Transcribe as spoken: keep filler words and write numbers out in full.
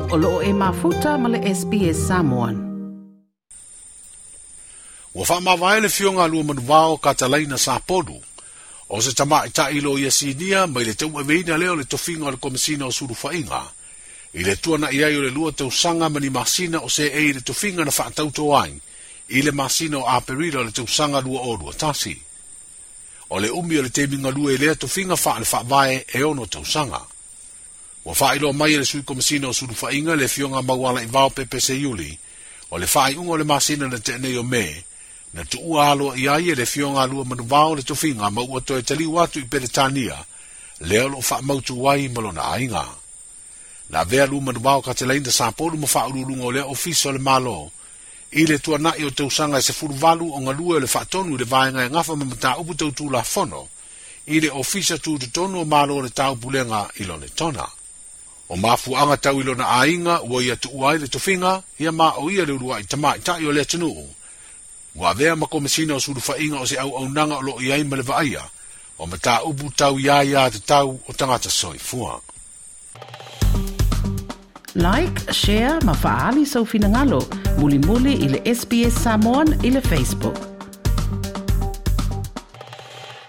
O loo e mafuta ma le S B S Samoan. Ua faamavae le Afioga a Luamanuvao Katalaina Sapolu, o se tamaʻitaʻi loia sinia mai le tauaveina lea o le tofiga o le Komesina o Sulufaʻiga, i le tuanaʻi ai o le lua tausaga ma ni masina o seʻei i le tofiga na faatauto ai, i le masina o Aperila o le tausaga lua o lua tasi. O le umi o le taimi galue i lea tofiga faale faavae e ono tausaga. Ua faailoa mai e le Sui Komesina o Sulufaʻiga le Afioga Maualaivao Pepe Seiuli, o le faaiuga o le masina na tea nei o Me, na tuua aloa i ai e le Afioga a Luamanuvao le tofiga ma ua toe taliu atu i Peretania, lea o loo faamautu ai ma lona aiga. Na avea Luamanuvao Katalaina Sapolu ma faauluuluga o lea ofisa o le Malo, i le tuanaʻi o tausaga e sefuluvalu o galue o le faatonu i le vaega e gafa ma mataupu tautulafono, i le ofisa tutotonu o Malo o le Taupulega i Lonetona. O mafuaaga tau i lona aiga ua ia tuua ai le tofiga, ia ma o ia le uluai tamaʻitaʻi o le atunuu. Ua avea ma Komesina o Sulufaʻiga o se auaunaga o loo i ai ma le vaaia, o mataupu tau iā iā tatau o tagata soifua. Like, share ma faali sau finagalo, mulimuli i le S B S Samoan i le Facebook.